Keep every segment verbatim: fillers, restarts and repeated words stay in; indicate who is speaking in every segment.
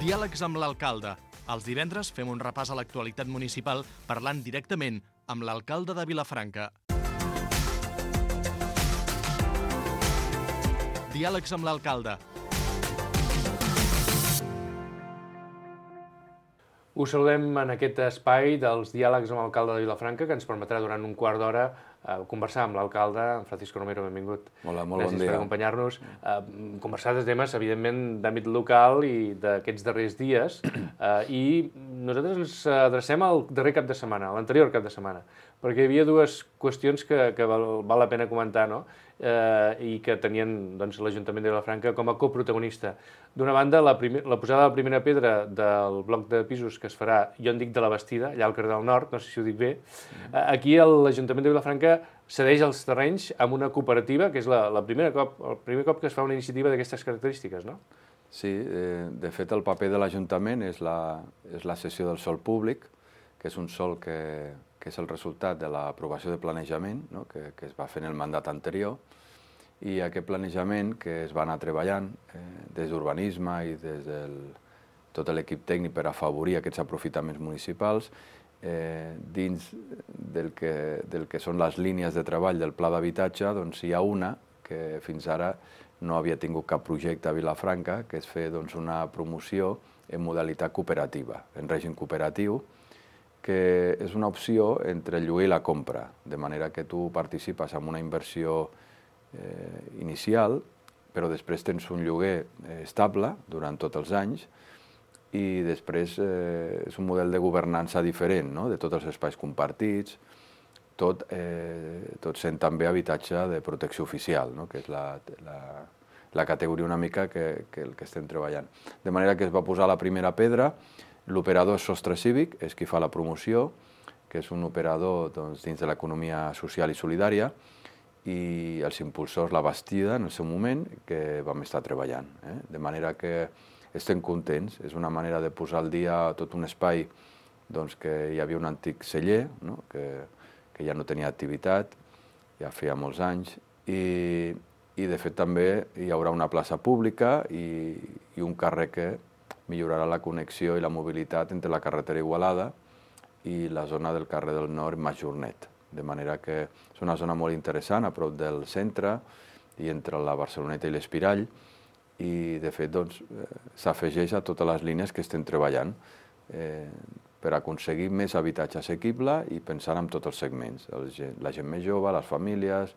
Speaker 1: Diàlegs amb l'alcalde. Els divendres fem un repàs a l'actualitat municipal parlant directament amb l'alcalde de Vilafranca. Diàlegs amb l'alcalde.
Speaker 2: Us saludem en aquest espai dels diàlegs amb l'alcalde de Vilafranca, que ens permetrà durant un quart d'hora eh, conversar amb l'alcalde, en Francisco Romero, benvingut.
Speaker 3: Hola, molt bon dia.
Speaker 2: Gràcies per acompanyar-nos. Eh, conversar de temes, evidentment, d'àmbit local i d'aquests darrers dies. Eh, I nosaltres ens adrecem al darrer cap de setmana, a l'anterior cap de setmana, perquè hi havia dues qüestions que, que val, val la pena comentar, no? Eh, i que tenien doncs, l'Ajuntament de Vilafranca com a coprotagonista. D'una banda, la, primer, la posada de la primera pedra del bloc de pisos que es farà, jo en dic de la Bastida, allà al carrer del Nord, no sé si ho dic bé. Eh, aquí l'Ajuntament de Vilafranca cedeix els terrenys amb una cooperativa, que és la, la primera cop, el primer cop que es fa una iniciativa d'aquestes característiques, no?
Speaker 3: Sí, eh, de fet el paper de l'Ajuntament és, la, és la cessió del sòl públic, que és un sòl que, que és el resultat de l'aprovació de planejament, no? que, que es va fer en el mandat anterior, i aquest planejament que es va anar treballant eh, des d'urbanisme i des de tot l'equip tècnic per afavorir aquests aprofitaments municipals, eh, dins del que, del que són les línies de treball del pla d'habitatge, doncs hi ha una que fins ara no havia tingut cap projecte a Vilafranca, que és fer doncs, una promoció en modalitat cooperativa, en règim cooperatiu, que és una opció entre el lloguer i la compra, de manera que tu participes en una inversió eh, inicial, però després tens un lloguer eh, estable durant tots els anys i després eh, és un model de governança diferent, no? De tots els espais compartits, tot, eh, tot sent també habitatge de protecció oficial, no? Que és la, la, la categoria una mica que, que el que estem treballant. De manera que es va posar la primera pedra, l'operador és Sostre Cívic, és qui fa la promoció, que és un operador doncs, dins de l'economia social i solidària, i els impulsors La Bastida, en el seu moment, que vam estar treballant. Eh? De manera que estem contents. És una manera de posar al dia tot un espai doncs, que hi havia un antic celler, no? que, que ja no tenia activitat, ja feia molts anys, i, i de fet també hi haurà una plaça pública i, i un carrer que millorarà la connexió i la mobilitat entre la carretera Igualada i la zona del carrer del Nord Majornet. De manera que és una zona molt interessant, a prop del centre i entre la Barceloneta i l'Espirall, i de fet doncs, s'afegeix a totes les línies que estem treballant eh, per aconseguir més habitatge assequible i pensar en tots els segments, el, la gent més jove, les famílies,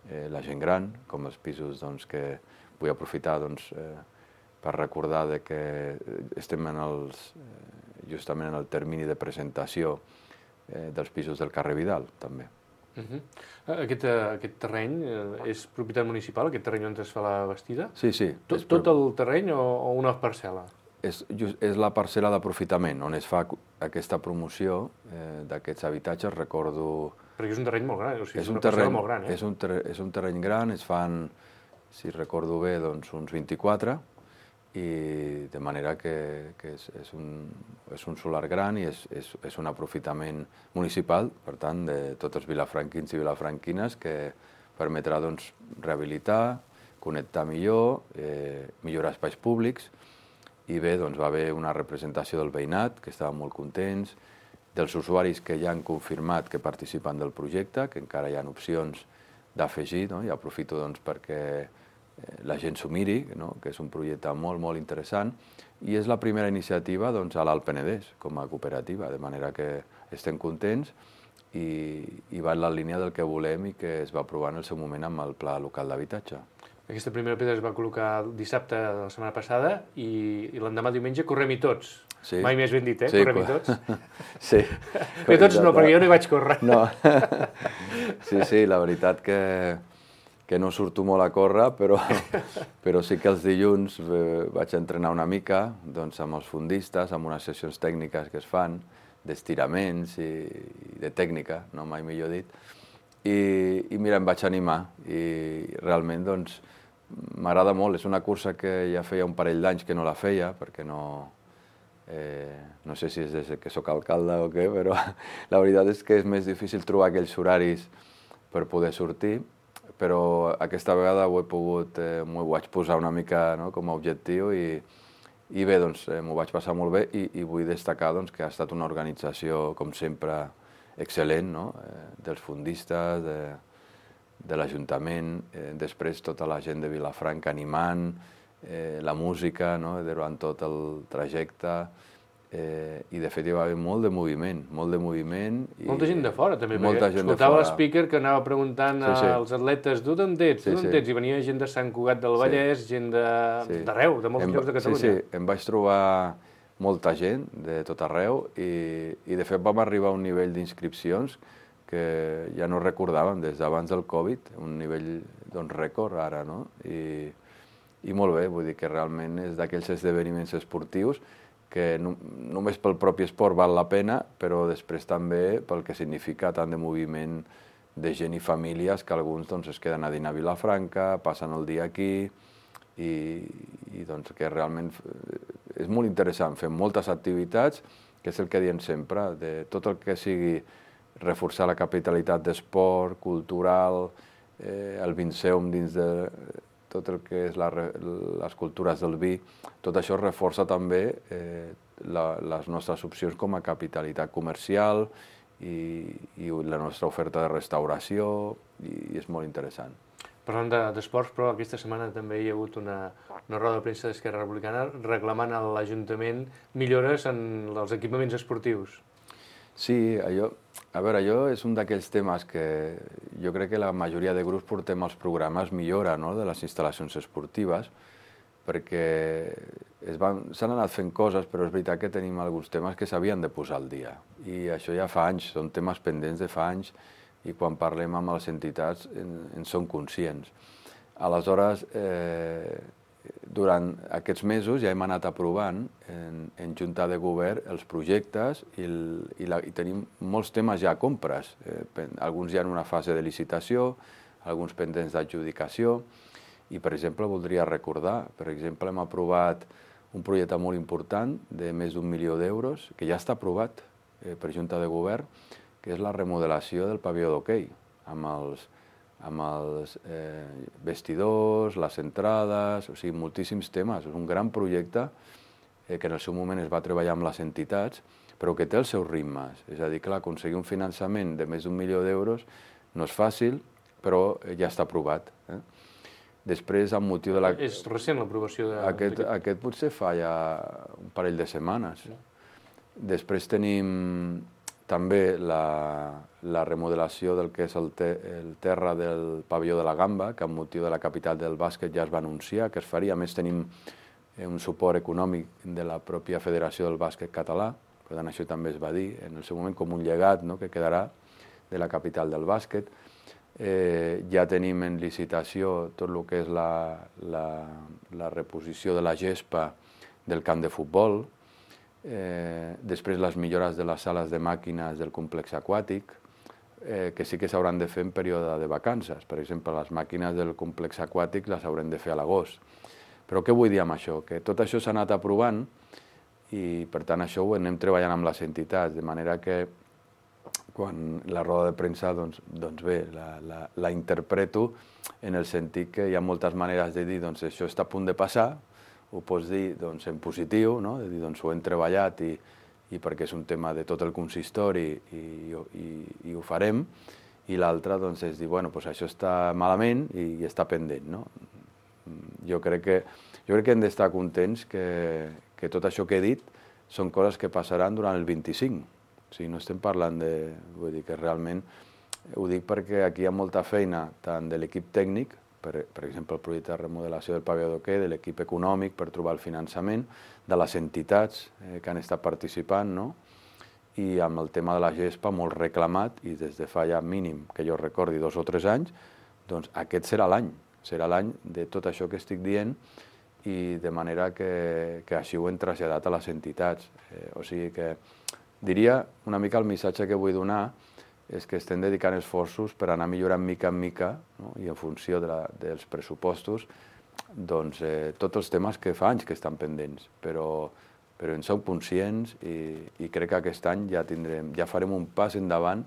Speaker 3: eh, la gent gran, com els pisos doncs, que vull aprofitar doncs, eh, per recordar de que estem en els, eh, justament en el termini de presentació eh, dels pisos del carrer Vidal, també.
Speaker 2: Uh -huh. aquest, aquest terreny és propietat municipal, aquest terreny on es fa la Bastida?
Speaker 3: Sí, sí.
Speaker 2: Tot, tot el terreny o, o una parcel·la?
Speaker 3: És, és la parcel·la d'aprofitament, on es fa aquesta promoció eh, d'aquests habitatges, recordo...
Speaker 2: Perquè és un terreny molt gran, o sigui, és,
Speaker 3: és un
Speaker 2: una
Speaker 3: terreny
Speaker 2: parcel·la molt gran, eh?
Speaker 3: És un, ter és un terreny gran, es fan, si recordo bé, doncs uns vint-i-quatre, i de manera que, que és, és, un, és un solar gran i és, és, és un aprofitament municipal, per tant, de tots els vilafranquins i vilafranquines, que permetrà doncs, rehabilitar, connectar millor, eh, millorar espais públics, i bé, doncs, va haver una representació del veïnat, que estaven molt contents, dels usuaris que ja han confirmat que participen del projecte, que encara hi ha opcions d'afegir, no? I aprofito doncs, perquè la gent s'ho miri, no? Que és un projecte molt, molt interessant, i és la primera iniciativa doncs, a l'Alt Penedès com a cooperativa, de manera que estem contents i, i va en la línia del que volem i que es va aprovar en el seu moment amb el Pla Local d'Habitatge.
Speaker 2: Aquesta primera pedra es va col·locar dissabte de la setmana passada i, i l'endemà diumenge correm-hi tots. Sí. Mai més ben dit, eh? Sí, correm-hi tots.
Speaker 3: Sí.
Speaker 2: Correm tots no, perquè jo no hi vaig córrer.
Speaker 3: No. Sí, sí, la veritat que... que no surto molt a córrer, però, però sí que els dilluns eh, vaig entrenar una mica doncs, amb els fundistes, amb unes sessions tècniques que es fan, d'estiraments i, i de tècnica, no mai millor dit, i, i mira, em vaig animar i realment doncs, m'agrada molt. És una cursa que ja feia un parell d'anys que no la feia, perquè no, eh, no sé si és des que sóc alcalde o què, però la veritat és que és més difícil trobar aquells horaris per poder sortir, però aquesta vegada ho he pogut, eh, m'ho vaig posar una mica no, com a objectiu i, I bé, doncs, eh, m'ho vaig passar molt bé i, i vull destacar doncs, que ha estat una organització, com sempre, excel·lent, no? eh, dels fundistes, de, de l'Ajuntament, eh, després tota la gent de Vilafranca animant, eh, la música, no? Durant tot el trajecte, eh, i de fet hi va haver molt de moviment, molt de moviment. I,
Speaker 2: molta gent de fora també,
Speaker 3: molta
Speaker 2: perquè
Speaker 3: gent de
Speaker 2: escoltava
Speaker 3: fora.
Speaker 2: l'speaker que anava preguntant
Speaker 3: Sí, sí.
Speaker 2: als atletes, tu d'on ets, tu
Speaker 3: Sí,
Speaker 2: d'on
Speaker 3: sí.
Speaker 2: ets, i venia gent de Sant Cugat del Vallès, gent de-
Speaker 3: Sí.
Speaker 2: d'arreu, de molts
Speaker 3: Em-
Speaker 2: llocs de Catalunya.
Speaker 3: Sí, sí, em vaig trobar molta gent de tot arreu i, i de fet vam arribar a un nivell d'inscripcions que ja no recordàvem des d'abans del Covid, un nivell doncs, rècord ara, no? I, i molt bé, vull dir que realment és d'aquells esdeveniments esportius que no, només pel propi esport val la pena, però després també pel que significa tant de moviment de gent i famílies que alguns doncs, es queden a dinar a Vilafranca, passen el dia aquí i, i doncs, que realment és molt interessant. Fem moltes activitats, que és el que diem sempre, de tot el que sigui reforçar la capitalitat d'esport, cultural, eh, el Vinceum dins de tot el que és la, les cultures del vi, tot això reforça també eh, la, les nostres opcions com a capitalitat comercial i, i la nostra oferta de restauració, i, i és molt interessant.
Speaker 2: Parlant de- d'esports, però aquesta setmana també hi ha hagut una, una roda de premsa d'Esquerra Republicana reclamant a l'Ajuntament millores en els equipaments esportius.
Speaker 3: Sí, allò, a veure, allò és un d'aquells temes que jo crec que la majoria de grups portem als programes millora, no?, de les instal·lacions esportives, perquè es van, s'han anat fent coses, però és veritat que tenim alguns temes que s'havien de posar al dia. I això ja fa anys, són temes pendents de fa anys, i quan parlem amb les entitats en, en som conscients. Aleshores, eh, durant aquests mesos ja hem anat aprovant en, en Junta de Govern els projectes i, el, i, la, i tenim molts temes ja a compres. Eh, alguns ja en una fase de licitació, alguns pendents d'adjudicació. I, per exemple, voldria recordar, per exemple, hem aprovat un projecte molt important de més d'un milió d'euros, que ja està aprovat eh, per Junta de Govern, que és la remodelació del pavió d'hoquei, amb els amb els eh, vestidors, les entrades, o sigui, moltíssims temes. És un gran projecte eh, que en el seu moment es va treballar amb les entitats, però que té els seus ritmes. És a dir, clar, aconseguir un finançament de més d'un milió d'euros no és fàcil, però ja està aprovat. Eh? Després, amb motiu de la...
Speaker 2: És recent l'aprovació de...
Speaker 3: Aquest, aquest potser fa ja un parell de setmanes. Després tenim també la, la remodelació del que és el, te, el terra del pavelló de la Gamba, que amb motiu de la capital del bàsquet ja es va anunciar que es faria. A més, tenim un suport econòmic de la pròpia Federació del Bàsquet Català, per tant, això també es va dir en el seu moment com un llegat, no?, que quedarà de la capital del bàsquet. Eh, ja tenim en licitació tot el que és la, la, la reposició de la gespa del camp de futbol, eh, després les millores de les sales de màquines del complex aquàtic, eh, que sí que s'hauran de fer en període de vacances. Per exemple, les màquines del complex aquàtic les haurem de fer a l'agost. Però què vull dir amb això? Que tot això s'ha anat aprovant i, per tant, això ho anem treballant amb les entitats, de manera que quan la roda de premsa, doncs, doncs bé, la, la, la interpreto en el sentit que hi ha moltes maneres de dir doncs això està a punt de passar, ho pots dir doncs, en positiu, no?, de dir doncs ho hem treballat i, i perquè és un tema de tot el consistori i, i, i ho farem, i l'altre doncs, és dir, bueno, doncs això està malament i, i està pendent, no? Jo crec que, jo crec que hem d'estar contents que, que tot això que he dit són coses que passaran durant el vint-i-cinc. O sigui, no estem parlant de... Vull dir que realment ho dic perquè aquí hi ha molta feina, tant de l'equip tècnic, per, per exemple, el projecte de remodelació del pavelló d'hoquei, de l'equip econòmic per trobar el finançament, de les entitats eh, que han estat participant, no? I amb el tema de la gespa molt reclamat, i des de fa ja mínim, que jo recordi, dos o tres anys, doncs aquest serà l'any, serà l'any de tot això que estic dient, i de manera que, que així ho hem traslladat a les entitats. Eh, o sigui que diria una mica el missatge que vull donar és que estem dedicant esforços per anar millorant mica en mica, no?, i en funció de la, dels pressupostos, doncs, eh, tots els temes que fa anys que estan pendents, però, però en som conscients i, i crec que aquest any ja, tindrem, ja farem un pas endavant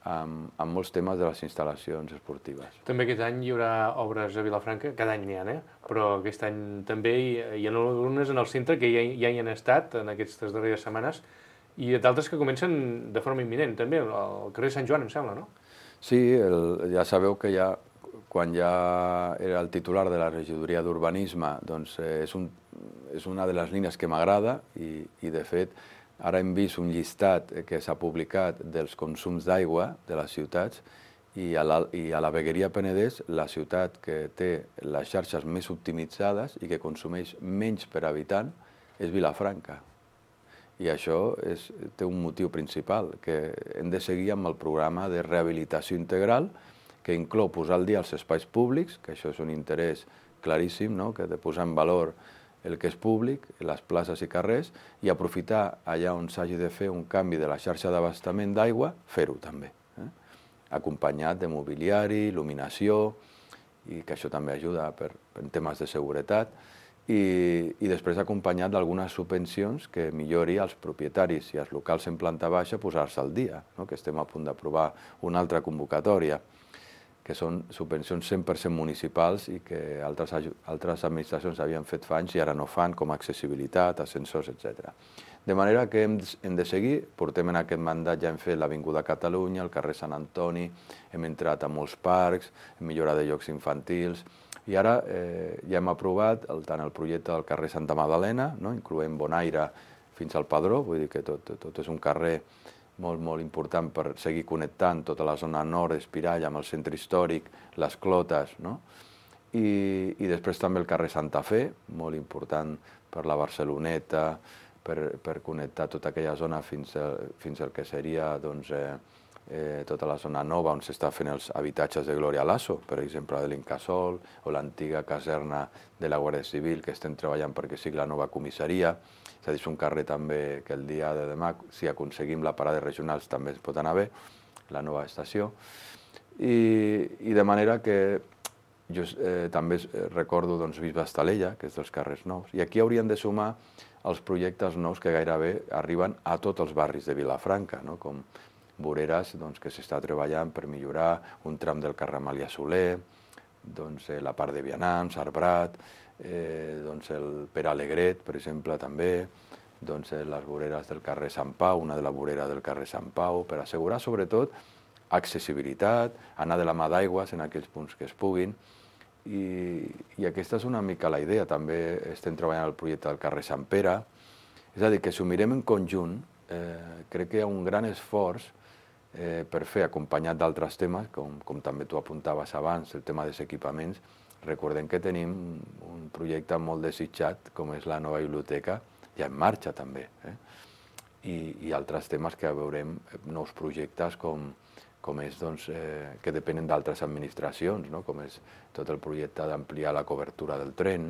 Speaker 3: amb, amb molts temes de les instal·lacions esportives.
Speaker 2: També aquest any hi haurà obres a Vilafranca, cada any n'hi ha, eh? Però aquest any també hi, hi ha algunes en el centre que ja, ja hi han estat en aquestes darreres setmanes i d'altres que comencen de forma imminent, també, al carrer Sant Joan, em sembla, no?
Speaker 3: Sí, el, ja sabeu que ja, quan ja era el titular de la regidoria d'Urbanisme, doncs eh, és, un, és una de les línies que m'agrada i, i, de fet, ara hem vist un llistat que s'ha publicat dels consums d'aigua de les ciutats i a, la, i a la Vegueria Penedès, la ciutat que té les xarxes més optimitzades i que consumeix menys per habitant és Vilafranca. I això és, té un motiu principal, que hem de seguir amb el programa de rehabilitació integral que inclou posar al dia els espais públics, que això és un interès claríssim, no? Que de posar en valor el que és públic, les places i carrers, i aprofitar allà on s'hagi de fer un canvi de la xarxa d'abastament d'aigua, fer-ho també, eh? Acompanyat de mobiliari, il·luminació, i que això també ajuda per, per temes de seguretat, i, i després acompanyat d'algunes subvencions que millori als propietaris i als locals en planta baixa posar-se al dia, no? Que estem a punt d'aprovar una altra convocatòria, que són subvencions cent per cent municipals i que altres, altres administracions havien fet fa anys i ara no fan, com accessibilitat, ascensors, etcètera. De manera que hem, hem de seguir, portem en aquest mandat, ja hem fet l'Avinguda Catalunya, el carrer Sant Antoni, hem entrat a molts parcs, hem millorat de llocs infantils, i ara eh, ja hem aprovat el, tant el projecte del carrer Santa Magdalena, no? Incloent Bonaire fins al Padró, vull dir que tot, tot és un carrer molt, molt important per seguir connectant tota la zona nord d'Espirall amb el centre històric, les Clotes, no? I, i després també el carrer Santa Fe, molt important per la Barceloneta, per, per connectar tota aquella zona fins, a, fins al que seria doncs, eh, eh, tota la zona nova on s'està fent els habitatges de Gloria Lasso, per exemple, de l'Incasòl, o l'antiga caserna de la Guàrdia Civil, que estem treballant perquè sigui la nova comissaria. És a dir, és un carrer també que el dia de demà, si aconseguim la parada regionals, també es pot anar bé, la nova estació. I, i de manera que jo eh, també recordo doncs, Bisbe Estalella, que és dels carrers nous, i aquí hauríem de sumar els projectes nous que gairebé arriben a tots els barris de Vilafranca, no? Com voreres doncs, que s'està treballant per millorar un tram del carrer Amàlia Soler, doncs, eh, la part de Vianants, Arbrat, eh, doncs el Pere Alegret, per exemple, també, doncs, eh, les voreres del carrer Sant Pau, una de la vorera del carrer Sant Pau, per assegurar, sobretot, accessibilitat, anar de la mà d'aigües en aquells punts que es puguin, i, i aquesta és una mica la idea. També estem treballant el projecte del carrer Sant Pere, és a dir, que si ho mirem en conjunt, eh, crec que hi ha un gran esforç eh, per fer, acompanyat d'altres temes, com, com també tu apuntaves abans, el tema dels equipaments. Recordem que tenim un projecte molt desitjat, com és la nova biblioteca, ja en marxa també, eh? I, i altres temes que veurem, nous projectes com, com és, doncs, eh, que depenen d'altres administracions, no? Com és tot el projecte d'ampliar la cobertura del tren,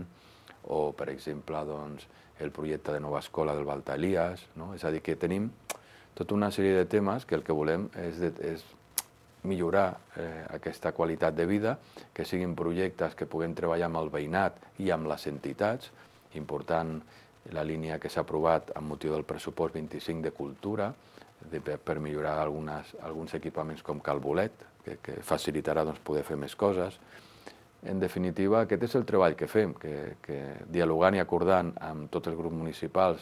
Speaker 3: o, per exemple, doncs, el projecte de nova escola del Balta Elias, no? És a dir, que tenim tota una sèrie de temes que el que volem és, de, és millorar eh, aquesta qualitat de vida, que siguin projectes que puguem treballar amb el veïnat i amb les entitats. Important la línia que s'ha aprovat amb motiu del pressupost vint-i-cinc de cultura, de, per millorar algunes, alguns equipaments com Cal Bolet, que, que facilitarà doncs, poder fer més coses. En definitiva, aquest és el treball que fem, que, que dialogant i acordant amb tots els grups municipals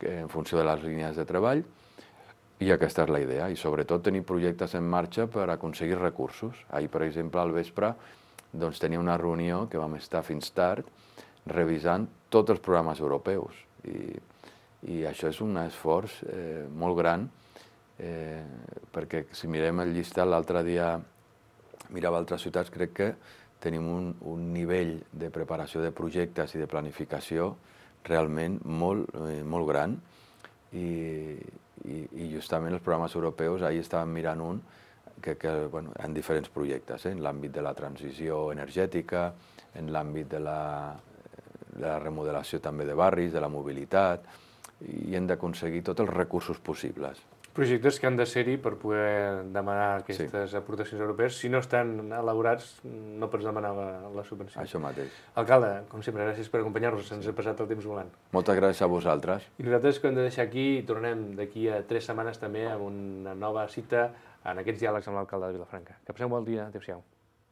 Speaker 3: que, en funció de les línies de treball, i aquesta és la idea, i sobretot tenir projectes en marxa per aconseguir recursos. Ahir, per exemple, al vespre, doncs, tenia una reunió que vam estar fins tard revisant tots els programes europeus. I, i això és un esforç eh, molt gran, eh, perquè si mirem el llistat, l'altre dia mirava altres ciutats, crec que tenim un, un nivell de preparació de projectes i de planificació realment molt, eh, molt gran, i, i, i justament els programes europeus, ahir estàvem mirant un, que, que bueno, en diferents projectes, eh? En l'àmbit de la transició energètica, en l'àmbit de la, de la remodelació també de barris, de la mobilitat, i hem d'aconseguir tots els recursos possibles.
Speaker 2: Projectes que han de ser-hi per poder demanar aquestes sí. aportacions europees. Si no estan elaborats, no pots demanar la, la subvenció.
Speaker 3: Això mateix.
Speaker 2: Alcalde, com sempre, gràcies per acompanyar-nos. Se'ns ha passat el temps volant.
Speaker 3: Moltes gràcies a vosaltres.
Speaker 2: I nosaltres que hem de deixar aquí, tornem d'aquí a tres setmanes també amb una nova cita en aquests diàlegs amb l'alcalde de Vilafranca. Que passeu un bon dia. Adéu-siau.